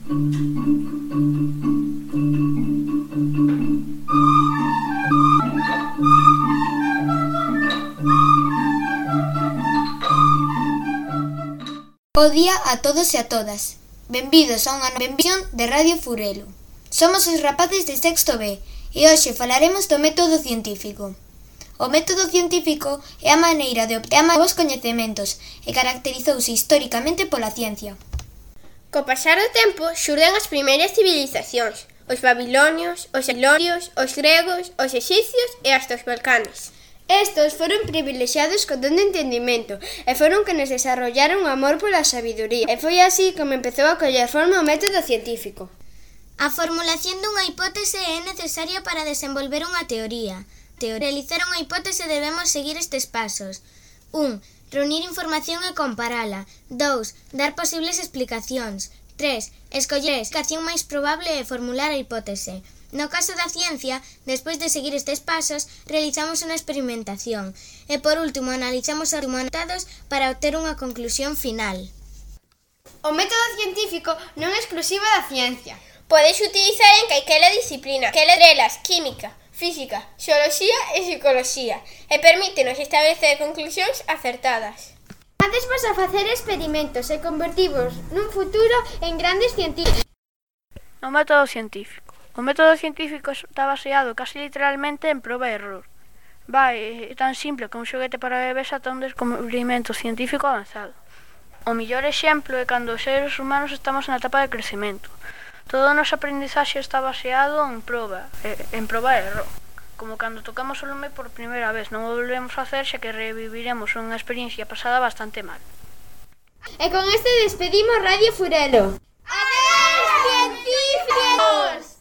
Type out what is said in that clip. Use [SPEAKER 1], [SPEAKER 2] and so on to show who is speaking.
[SPEAKER 1] Bo día a todos e a todas. Benvidos a unha nova emisión de Radio Furelo. Somos os rapaces de sexto B e hoxe falaremos do método científico. O método científico é a maneira de obter novos coñecementos e caracterizouse históricamente pola ciencia.
[SPEAKER 2] Co pasar do tempo xurden as primeiras civilizacións, os babilonios, os elorios, os gregos, os exicios e hasta os balcanes. Estos foron privilexiados co don de entendimento e foron que nos desarrollaron o amor pola sabiduría. E foi así como empezou a coller forma o método científico.
[SPEAKER 3] A formulación dunha hipótese é necesaria para desenvolver unha teoría. Para realizar unha hipótese debemos seguir estes pasos. 1. Reunir información e comparala. 2. Dar posibles explicacións. 3. Escoller a explicación máis probable e formular a hipótese. No caso da ciencia, despois de seguir estes pasos, realizamos unha experimentación e, por último, analizamos os resultados para obter unha conclusión final.
[SPEAKER 2] O método científico non é exclusivo da ciencia. Podes utilizar en calquera disciplina, que delas química, física, xeoloxía e psicoloxía, e permítenos establecer conclusións acertadas. Adesvos a facer experimentos e convertivos nun futuro en grandes científicos.
[SPEAKER 4] O método científico. O método científico está baseado casi literalmente en proba e error. Vai tan simple como un xoguete para bebés ata un descubrimento científico avanzado. O mellor exemplo é cando os seres humanos estamos na etapa de crecemento. Todo o noso aprendizaxe está baseado en proba e error. Como cando tocamos o lume por primeira vez, non o volvemos a hacer xa que reviviremos unha experiencia pasada bastante mal.
[SPEAKER 2] E con este despedimos Radio Furelo. Adeus, científicos!